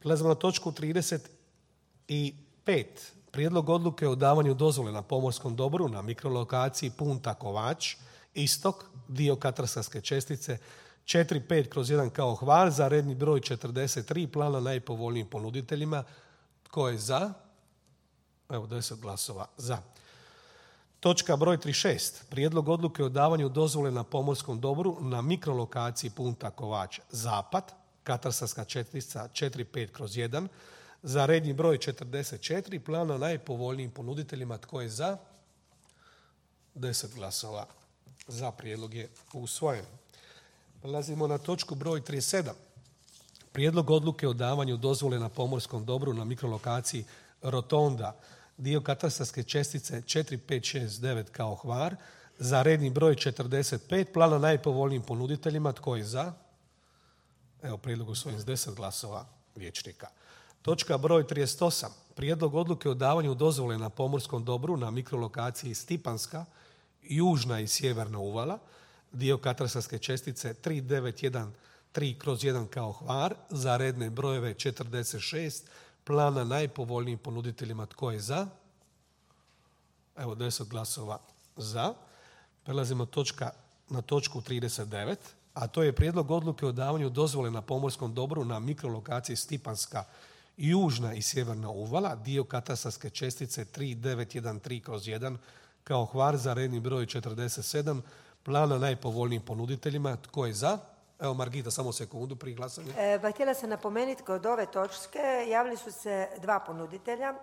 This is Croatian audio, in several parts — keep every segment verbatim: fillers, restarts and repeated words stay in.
Prelazimo na točku trideset pet. Prijedlog odluke o davanju dozvole na pomorskom dobru na mikrolokaciji Punta Kovač, istok, dio katastarske čestice četiri pet kroz jedan kao Hvar za redni broj četrdeset tri plana najpovoljnijim ponuditeljima. Tko je za? Evo, deset glasova za. Točka broj trideset šest. Prijedlog odluke o davanju dozvole na pomorskom dobru na mikrolokaciji Punta Kovač, zapad, katastarska čestica četiri pet kroz jedan za redni broj četrdeset četiri plana najpovoljnijim ponuditeljima. Tko je za? deset glasova za. Prijedlog je usvojen. Prelazimo na točku broj trideset sedam. Prijedlog odluke o davanju dozvole na pomorskom dobru na mikrolokaciji Rotonda, dio katastarske čestice četiri pet šest devet kao Hvar za redni broj četrdeset pet plana najpovoljnijim ponuditeljima. Tko je za? Evo, prijedlog usvojen s deset glasova vijećnika. Točka broj trideset osam. Prijedlog odluke o davanju dozvole na pomorskom dobru na mikrolokaciji Stipanska, južna i sjeverna uvala, dio katastarske čestice tri devet jedan tri kroz jedan kao Hvar za redne brojeve četrdeset šest plana najpovoljnijim ponuditeljima. Tko je za? Evo, deset glasova za. Prelazimo točka, na točku trideset devet, a to je prijedlog odluke o davanju dozvole na pomorskom dobru na mikrolokaciji Stipanska, južna i sjeverna uvala, dio katastarske čestice tri devet jedan tri kroz jedan kao Hvar za redni broj četrdeset sedam plana najpovoljnijim ponuditeljima. Tko je za? Evo, Margita, samo sekundu prije glasanja. E, ba, htjela sam napomenuti, kod ove točke javili su se dva ponuditelja.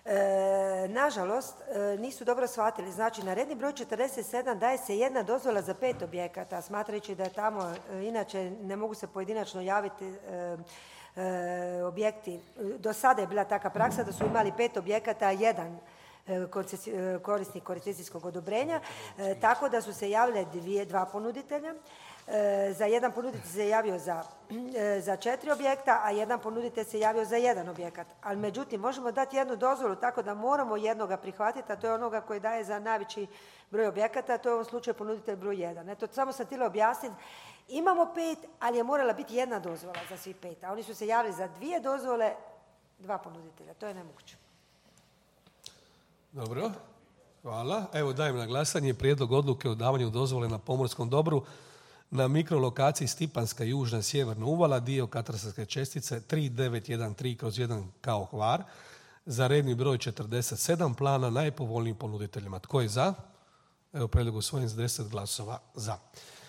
E, nažalost, e, nisu dobro shvatili. Znači, na redni broj četrdeset sedam daje se jedna dozvola za pet objekata, smatrajući da je tamo, e, inače ne mogu se pojedinačno javiti e, e, objekti. Do sada je bila takva praksa da su imali pet objekata, a jedan korisnik koncesijskog odobrenja, e, tako da su se javile dvije, dva ponuditelja. E, za jedan ponuditelj se javio za, e, za četiri objekta, a jedan ponuditelj se javio za jedan objekat. Ali međutim, možemo dati jednu dozvolu tako da moramo jednoga prihvatiti, a to je onoga koji daje za najveći broj objekata, a to je u ovom slučaju ponuditelj broj jedan. Eto, samo sam htjela objasniti. Imamo pet, ali je morala biti jedna dozvola za svi pet, a oni su se javili za dvije dozvole, dva ponuditelja. To je nemoguće. Dobro, hvala. Evo, dajem na glasanje prijedlog odluke o davanju dozvole na pomorskom dobru na mikrolokaciji Stipanska, južna sjeverna uvala, dio katastarske čestice tri devet jedan tri kroz jedan kao Hvar za redni broj četrdeset sedam plana najpovoljnijim ponuditeljima. Tko je za? Evo, prijedlog usvojen s deset glasova za.